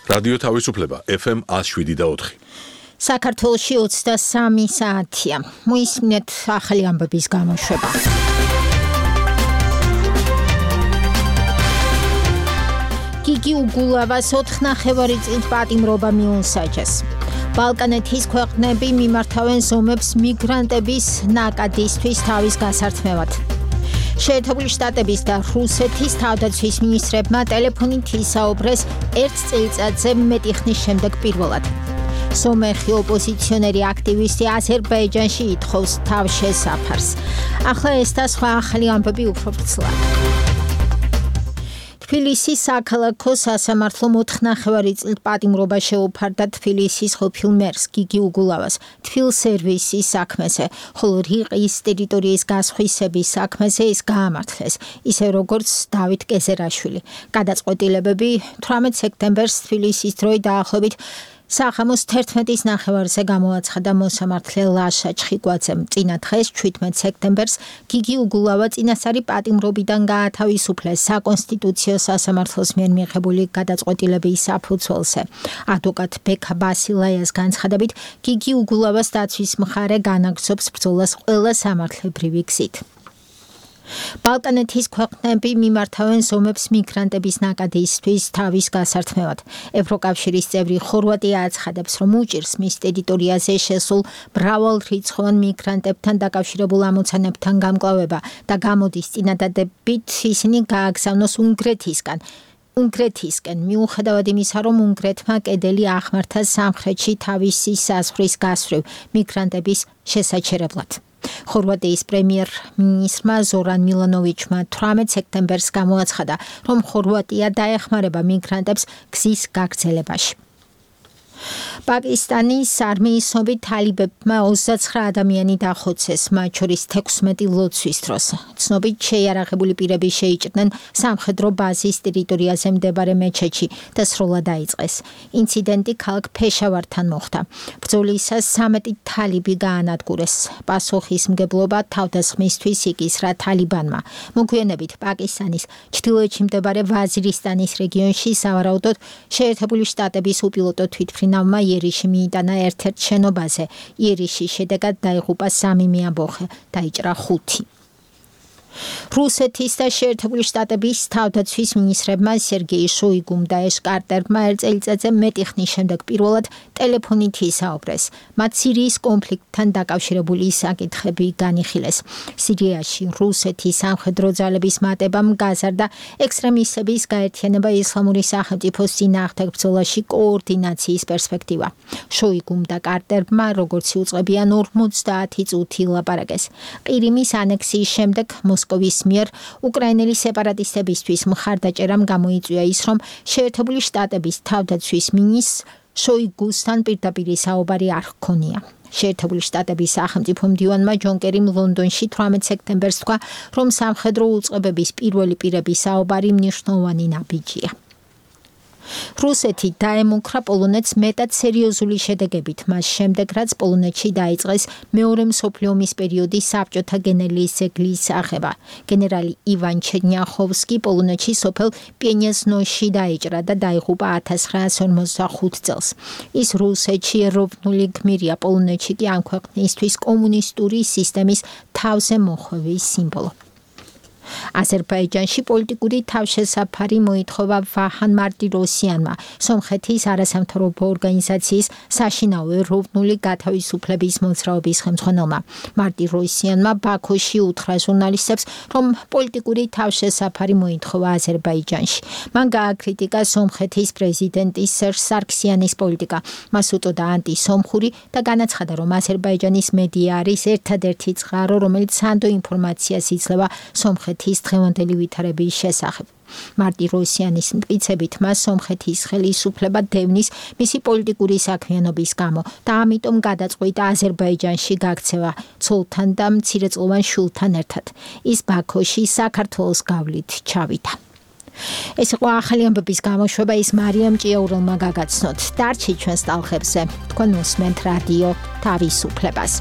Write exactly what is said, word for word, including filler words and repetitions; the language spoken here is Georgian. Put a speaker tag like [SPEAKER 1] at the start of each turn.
[SPEAKER 1] რადიო თავისუფლება F M one oh seven და four.
[SPEAKER 2] საქართველოში ოცდასამი საათია. მოისმინეთ ახალი ამბების გამოშვება. გიგი უგულავას ოთხ ნახევარი წლით პატიმრობა მიუსაჯეს. ბალკანეთის ქვეყნები მიმართავენ ზომებს მიგრანტების ნაკადისთვის თავის გასართმევად. შეერთებული შტატების და რუსეთის თავდაცვის მინისტრებმა ტელეფონით ისაუბრეს ერთ წელიწადზე მეტი ხნის შემდეგ პირველად. სომეხი ოპოზიციონერი აქტივისტი აზერბაიჯანში ითხოვს თავშესაფარს. ახლა ეს და სხვა ახალი ამბები უფრო ვრცლად. თბილისის საქალაქო სასამართლომ ოთხ ნახევარი წლით პატიმრობა შეუფარდა თბილისის ყოფილ მერს გიგი უგულავას თბილსერვისის საქმეზე, ხოლო რიყის ტერიტორიის გასხვისების საქმეზე ის გაამართლეს, ისე როგორც დავით კეზერაშვილი. გადაწყვეტილებები თვრამეტ სექტემბერს თბილისის დროით დაახლოებით სახამოს თერთმეტის ნახევარზე გამოაცხადა მოსამართლე ლაშა ჩხიკვაძემ. წინა დღეს ჩვიდმეტ სექტემბერს გიგი უგულავა წინასწარი პატიმრობიდან გაათავისუფლეს საკონსტიტუციო სასამართლოს მიერ მიღებული გადაწყვეტილების საფუძველზე. ადვოკატ ბექა ბასილაიას განცხადებით, გიგი უგულავას დაცვის მხარე განაგრძობს ბრძოლას ყველა სამართლებრივი გზით. ბალკანეთის ქვეყნები მიმართავენ ზომებს მიგრანტების ნაკადისთვის თავის გასართმევად. ევროკავშირის წევრი ხორვატია აცხადებს, რომ უჭირს მის ტერიტორიაზე შესულ მრავალრიცხოვან მიგრანტებთან დაკავშირებულ ამოცანებთან გამკლავება და გამოდის წინადადებით ისინი გააგზავნოს უნგრეთისგან. უნგრეთისკენ მიუხედავად იმისა, რომ უნგრეთმა კედელი ახმართა სამხრეთში თავისი საზღვრის გასწვრივ მიგრანტების შესაჩერებლად. ხორვატიის პრემიერ-მინისტრმა ზორან მილანოვიჩმა თვრამეტ სექტემბერს გამოაცხადა, რომ ხორვატია დაეხმარება მიგრანტებს გზის გაგრძელებაში. პაკისტანის არმიის ცნობით თალიბებმა ოცდაცხრა ადამიანი დახოცეს, მათ შორის თექვსმეტი ლოცვის დროს. ცნობით შეიარაღებული პირები შეიჭრნენ სამხედრო ბაზის ტერიტორიაზე მდებარე მეჩეთში და სროლა დაიწყეს. ინციდენტი ქალაქ ფეშავართან მოხდა. ბრძოლისას სამეტი თალიბი გაანადგურეს. პასუხისმგებლობა თავდასხმისთვის იკისრა თალიბანმა. მოგვიანებით პაკისტანის ჩრდილოეთში მდებარე ვაზირისტანის რეგიონში სავარაუდოდ შეერთებული შტატების უპილოტო თვითმფრინავმა იერიში მიიტანა ერთ-ერთ შენობაზე. იერიშის შედეგად დაიღუპა სამი მეამბოხე, დაიჭრა ხუთი. რუსეთის და შეერთებული შტატების თავდაცვის მინისტრებმა სერგეი შოიგუმ და ეშ კარტერმა ერთ წელიწადზე მეტი ხნის შემდეგ პირველად ტელეფონით ისაუბრეს. მათ სირიის კონფლიქტთან დაკავშირებული საკითხები განიხილეს. სირიაში რუსეთის სამხედრო ძალების მატებამ გაზარდა ექსტრემისტების გაერთიანება ისლამური სახელმწიფოს წინააღმდეგ ბრძოლაში კოორდინაციის პერსპექტივა. შოიგუმ და კარტერმა როგორც იუწყებიან ორმოცდაათი წუთი ლაპარაკეს. ყირიმის ანექსიის შემდეგ მოსკოვის მიერ უკრაინელი სეპარატისტებისთვის მხარდაჭერამ გამოიწვია ის, რომ შეერთებული შტატების თავდაცვის მინისტრს შოიგუსთან პირდაპირ საუბარი არ ჰქონია. შეერთებული შტატების სახელმწიფო მდივანმა ჯონ კერიმ ლონდონში თვრამეტ სექტემბერს თქვა, რომ სამხედრო უწყებების პირველი პირების საუბარი მნიშვნელოვანი ნაბიჯია. რუსეთი დაემუქრა პოლონეთს მეტად სერიოზული შედეგებით, მას შემდეგ რაც პოლონეთში დაიწყეს მეორე მსოფლიო ომის პერიოდის საბჭოთა გენერლის ძეგლის აღება. გენერალი ივან ჩერნიახოვსკი პოლონეთში სოფელ პიენიაზნოში დაიჭრა და დაიღუპა ათას ცხრაასი ორმოცდახუთ წელს. ის რუსეთში ეროვნული გმირია, პოლონეთში კი ამ ქვეყნისთვის კომუნისტური სისტემის თავზე მოხვევის სიმბოლო. აზერბაიჯანში პოლიტიკური თავშესაფარი მოითხოვა ვაჰან მარტიროსიანმა, სომხეთის არასამთავრობო ორგანიზაციის საშინაო ეროვნული გათავისუფლების მოძრაობის ხელმძღვანელმა. მარტიროსიანმა ბაქოში უთხრა ჟურნალისტებს, რომ პოლიტიკური თავშესაფარი მოითხოვა აზერბაიჯანში. მან გააკრიტიკა სომხეთის პრეზიდენტის სერჟ სარქსიანის პოლიტიკა. მას უწოდა ანტისომხური და განაცხადა, რომ აზერბაიჯანის მედია არის ერთადერთი წყარო, რომელიც სანდო ინფორმაციას იძლევა სომხეთის ის დღევანდელი ვითარების შესახებ. მარტიროსიანის მტკიცებით მას სომხეთის ხელისუფლება დევნის მისი პოლიტიკური საქმიანობის გამო და ამიტომ გადაწყვიტა აზერბაიჯანში გაქცევა ცოლთან და მცირეწლოვან შვილთან ერთად. ის ბაქოში საქართველოს გავლით ჩავიდა. ეს იყო ახალი ამბების გამოშვება, ის მარიამ ჭიაურელმა გაგაცნოთ. დარჩით ჩვენს ტალღებზე. თქვენ უსმენთ რადიო თავისუფლებას.